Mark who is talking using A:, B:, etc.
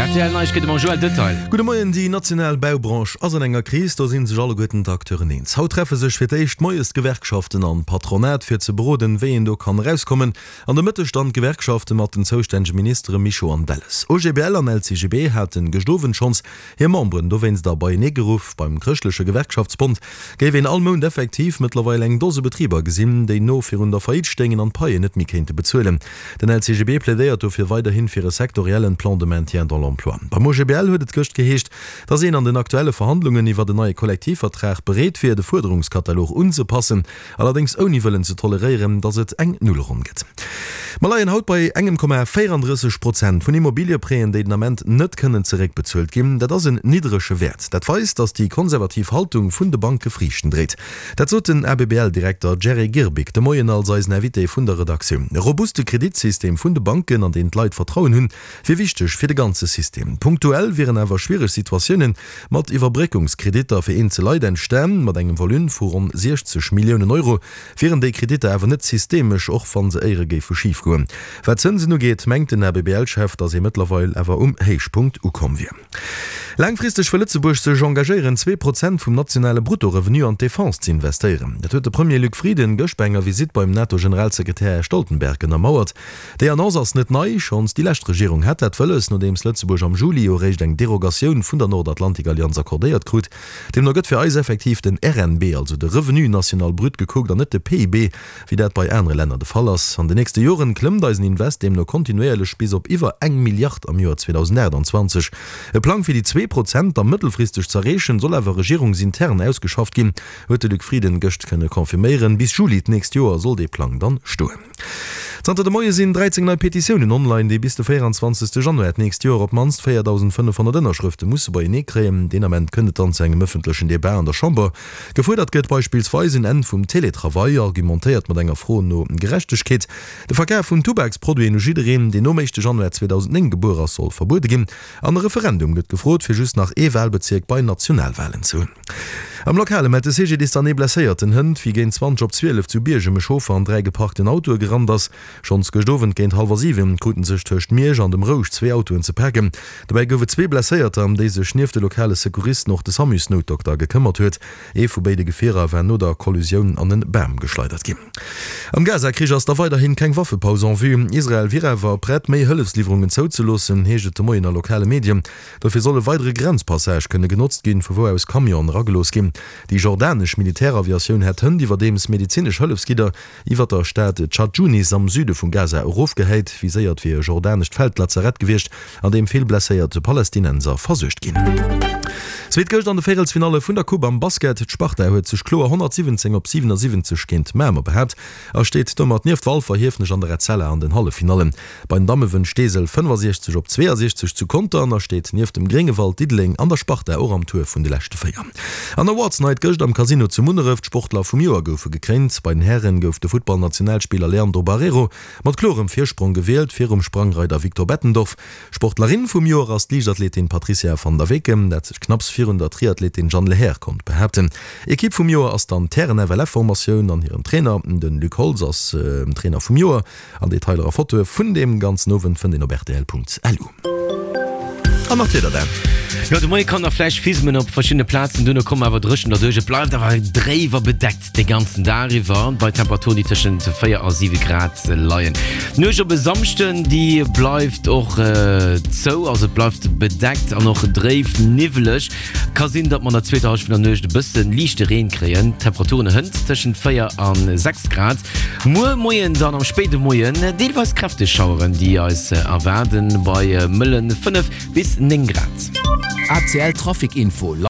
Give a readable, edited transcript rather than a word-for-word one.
A: Rtl Neiegkeete mam Joël Detail.
B: Gudde Moien, Déi national Baubranche ass an enger Kris, do si sech alleguerten d'Acteuren eens. Haut treffe sech fir d'éischt moies d'Gewerkschaften an d'Patronat fir ze beroden, wéi een do kann erauskommen. An de Mëtteg dann d'Gewerkschafte mat den zoustännege Ministere Mischo an Delles. OGBL an LCGB haten gëscht Owend schonns hir Memberen dowéinst a beienee geruff. Beim Chrëschtleche Gewerkschaftsbond géif een all Mount effektiv mëttlerweil eng Dose Betriber gesinn, déi no virun der Faillite stéingen an d'Paien net méi kéinte bezuelen. Den LCGB plädéiert dofir weiderhin fir e sektoriellen Plan de maintien dans l'emploi. Beim OGBL huet et gëscht geheescht, datt een an den aktuelle Verhandlungen iwwert en neie Kollektivvertrag bereet wier, de Fuerderungskatalog unzepassen. Allerdéngs ouni wëllen ze toleréieren, datt et eng Nullronn gëtt. Mer leien haut bei engem Komma 34 Prozent vun Immobiliëprêten, déi den Ament net kënnen zeréckbezuelt ginn. Dat ass en niddrege Wäert. Dat weist, datt déi konservativ Haltung vun de Banke Friichten dréit. Dat sot den ABBL-Direkter Jerry Girbig de Moien als eisen Invité vun der Redaktioun. E robuste Kreditsystem vun de Banken, an deen d'Leit Vertrauen hunn, wier wichteg fir de ganze System. Punktuell wieren awer schwiereg Situatiounen mat Iwwerbréckungskreditter fir eenzel Leit entstan. Mat engem Volume vu ronn 60 Milliounen Euro wieren déi Kreditter awer net systemesch, och wa se éiere géife schif goen. Wat d'Zënsen ugeet, mengt den ABBL-Chef, datt ee mëttlerweil awer um Héichpunkt ukomm wier. Laangfristeg wëll Lëtzebuerg sech engagéieren, 2% vum nationale Bruttorevenu an d'Defense ze investéieren. Dat huet de Premier Luc Frieden gëscht bei enger Visitt beim NATO-Generalsekretär Här Stoltenberg ënnermauert. Déi Annonce ass net nei, schonns déi lescht Regierung hat dat wëlles, nodeems Lëtzebuerg am Juli jo eréischt eng Derogatioun vun der Nordatlantikallianz accordéiert krut. Deemno gëtt fir eis effektiv den RNB, also de Revenu national brut, gekuckt an net de PIB, wéi dat bei anere Länner de Fall ass. An den nächste Joren klëmmt eisen Invest deemno kontinuéierlech bis op iwwer eng Milliard am Joer 2028. E Plang fir déi 2% da mëttelfristeg z'erreechen, soll awer regierungsintern ausgeschafft ginn, huet de Luc Frieden gëscht kënne confirméieren. Bis Juli d'nächst Joer soll dee Plang dann stoen. Zanter de Moie sinn 13 nei Petitiounen online, déi bis de 24. Januar d'nächst Joer op d'mannst 4.500 Ënnerschrëfte musse beienee kréien. Deen Ament kënnt et dann zu engem ëffentlechen Debat an der Chamber. Gefuerdert gëtt beispillsweis en Enn vum Teletravail, argumentéiert mat enger Fro no Gerechtegkeet. De Verkaf vun Tubaksproduiten u jiddereen, deen nom éischte Januar 2009 gebuer ass, soll verbuede ginn. An e Referendum gëtt gefrot, fir just nach ee Walbezierk bei Nationalwalen ze hunn. Am Lokale mellt de CGDIS dann ee Blesséierten hënt, wéi géint 20 op 12 zu Biergem e Chauffer an 3 geparkten Autoe gerannt ass. Schonns gëscht Owend géint hallwer 7 kruten sech tëscht Miersch an dem Rouch zwee Autoen ze paken. Dobäi gouf et zwee Blesséierter, ëm déi sech nieft de lokale Secouristen och de Samusnoutdokter gekëmmert huet. Ee vu béide Gefierer war no der Kollusioun an e Bam geschleidert ginn. Am Gaza-Krich ass da weiderhin keng Waffepaus en vue. Israel wier awer prett, méi Hëllefsliwwerungen zouzeloossen, heescht et de Moien a lokale Medien. Dofir soll e weidere Grenzpassage kënne genotzt ginn, vu wou aus Camionen eragelooss ginn. Déi jordanesch Militäraviatioun hätt hënt iwwerdeems medezinesch Hëllefsgidder iwwer der Stad Chat Junis am Süde vum Gaza erofgehäit. Viséiert wier e jordanescht Feldlazarett gewiescht, an deem vill blesséiert Palästinenser versuergt ginn. Zweet gëscht an de Véierelsfinalle vun der Coupe am Basket. D'Sparta huet sech kloer 117 op 77 géint Mamer behaapt a steet domat nieft Walfer, Hiefenech an der Etzella an den Halleffinallen. Bei den Damme wënnt Steesel 65 op 62 zu Conter a steet nieft dem Gréngewald, Diddeleng an der Sparta och am Tour vun de leschte 4. An Awards Night gëscht am Casino zu Munneref. D'Sportler vum Joer goufe gekréint. Bei den Hären gouf de Futtballnationalspiller Leandro Barreiro mat klorem Virsprong gewielt, virum Sprangreider Victor Bettendorf. Sportlerin vum Joer ass d'Liichtathletin Patricia van der Weken, dat sech knapps virun der Triathletin Jeanne Lehair konnt behaapten. Ekipp vum Joer ass dann d'Hären-FLF-Formatioun an hiren Trainer, de Luc Holtz, ass Trainer vum Joer. An Detailer a Fotoe vun deem ganzen Owend fënnt een op rtl.lu. An nach d'Wieder Dan.
A: Jo, de Moie kann nach vläicht fismen op verschiddene Plazen, duerno kommen awer dréchen derduerch. Et bleift awer dréif a bedeckt de ganzen Dag iwwer, bei Temperaturen, déi tëschent 4 a 7 Grad leien. D'Nuecht op e Samschden, déi bleift och zou, also et bleift bedeckt an och dréif niwweleg. Ka sinn, datt mer an der zweeter Hallschent vun der Nuecht e bësse liichte Reen kréien. D'Temperaturen hënt tëschent 4 a 6 Grad. Muer Moien dann am spéide Moien deelweis kräfteg Schaueren, déi eis erwaarden, bei mëllen 5 bis 9 Grad.
C: ACL Trafic Info.